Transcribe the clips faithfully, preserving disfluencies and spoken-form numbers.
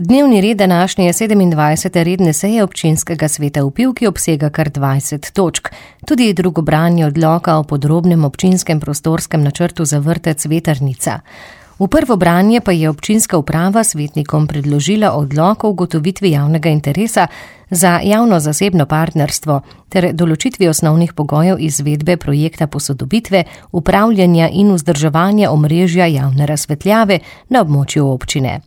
Dnevni red današnje sedemindvajsete redne seje občinskega sveta v Pivki obsega kar dvajset točk. Tudi drugo branje odloka o podrobnem občinskem prostorskem načrtu za vrtec Vetrnica. V prvo branje pa je občinska uprava svetnikom predložila odlok o ugotovitvi javnega interesa za javno-zasebno partnerstvo ter določitvi osnovnih pogojev izvedbe projekta posodobitve, upravljanja in vzdrževanja omrežja javne razsvetljave na območju občine.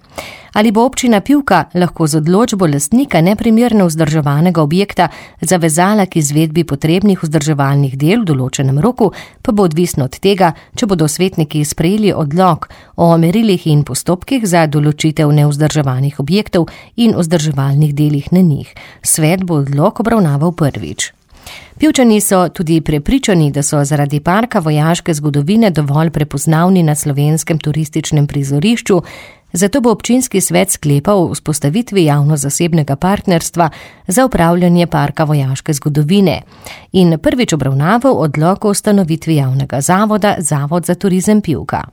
Ali bo občina Pivka lahko z odločbo lastnika neprimerno vzdrževanega objekta zavezala k izvedbi potrebnih vzdrževalnih del v določenem roku, pa bo odvisno od tega, če bodo svetniki sprejeli odlok o merilih in postopkih za določitev nevzdrževanih objektov in vzdrževalnih delih na njih. Svet bo odlok obravnaval prvič. Pivčani so tudi prepričani, da so zaradi parka vojaške zgodovine dovolj prepoznavni na slovenskem turističnem prizorišču, zato bo občinski svet sklepal o vzpostavitvi javno-zasebnega partnerstva za upravljanje parka vojaške zgodovine in prvič obravnaval odlok o ustanovitvi javnega zavoda Zavod za turizem Pivka.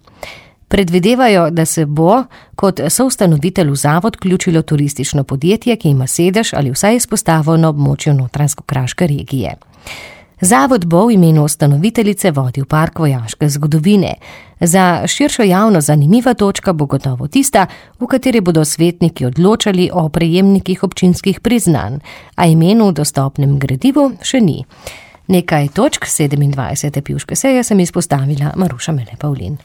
Predvidevajo, da se bo kot soustanovitelj v zavod vključilo turistično podjetje, ki ima sedež ali vsaj izpostavo na območju Notranjsko-kraške regije. Zavod bo v imenu ustanoviteljice vodil park vojaške zgodovine. Za širšo javnost zanimiva točka bo gotovo tista, v kateri bodo svetniki odločali o prejemnikih občinskih priznanj, a imenu v dostopnem gradivu še ni. Nekaj točk sedemindvajsete pivške seje sem izpostavila Maruša Mele Pavlin.